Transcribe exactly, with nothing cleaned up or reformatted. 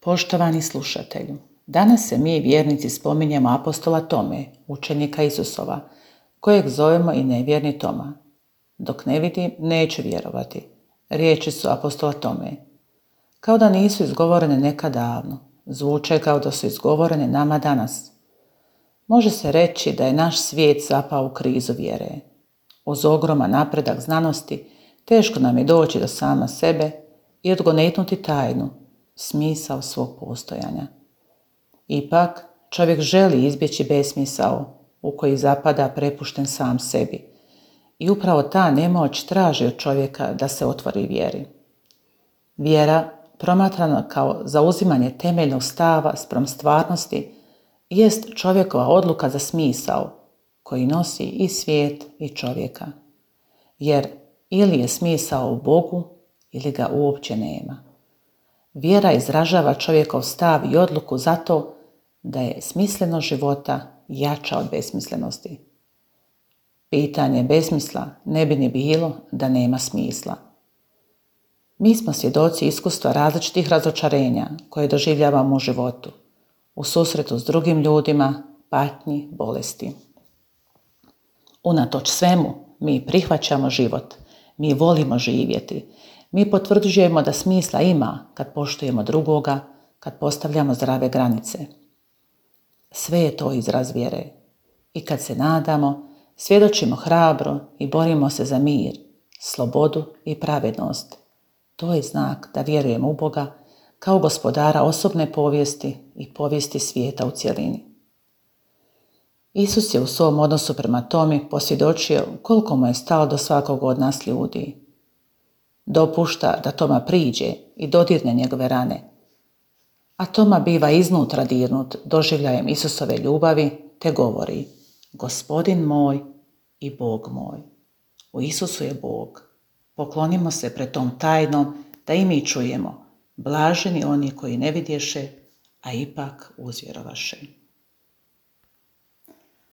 Poštovani slušatelju, danas se mi vjernici spominjemo apostola Tome, učenika Isusova, kojeg zovemo i nevjerni Toma. Dok ne vidim, neću vjerovati. Riječi su apostola Tome. Kao da nisu izgovorene nekad davno, zvuče kao da su izgovorene nama danas. Može se reći da je naš svijet zapao u krizu vjere. Uz ogroman napredak znanosti, teško nam je doći do sama sebe i odgonetnuti tajnu, smisao svog postojanja. Ipak, čovjek želi izbjeći besmisao u koji zapada prepušten sam sebi i upravo ta nemoć traži od čovjeka da se otvori vjeri. Vjera, promatrana kao zauzimanje temeljnog stava spram stvarnosti, jest čovjekova odluka za smisao koji nosi i svijet i čovjeka. Jer ili je smisao u Bogu ili ga uopće nema. Vjera izražava čovjekov stav i odluku zato da je smislenost života jača od besmislenosti. Pitanje besmisla ne bi ni bilo da nema smisla. Mi smo svjedoci iskustva različitih razočarenja koje doživljavamo u životu, u susretu s drugim ljudima, patnji, bolesti. Unatoč svemu, mi prihvaćamo život, mi volimo živjeti, mi potvrđujemo da smisla ima kad poštujemo drugoga, kad postavljamo zdrave granice. Sve je to izraz vjere. I kad se nadamo, svjedočimo hrabro i borimo se za mir, slobodu i pravednost. To je znak da vjerujemo u Boga kao gospodara osobne povijesti i povijesti svijeta u cjelini. Isus je u svom odnosu prema Tomi posvjedočio koliko mu je stalo do svakog od nas ljudi. Dopušta da Toma priđe i dodirne njegove rane, a Toma biva iznutra dirnut doživljajem Isusove ljubavi te govori: Gospodin moj i Bog moj. U Isusu je Bog. Poklonimo se pred tom tajnom da i mi čujemo: blaženi oni koji ne vidješe, a ipak uzvjerovaše.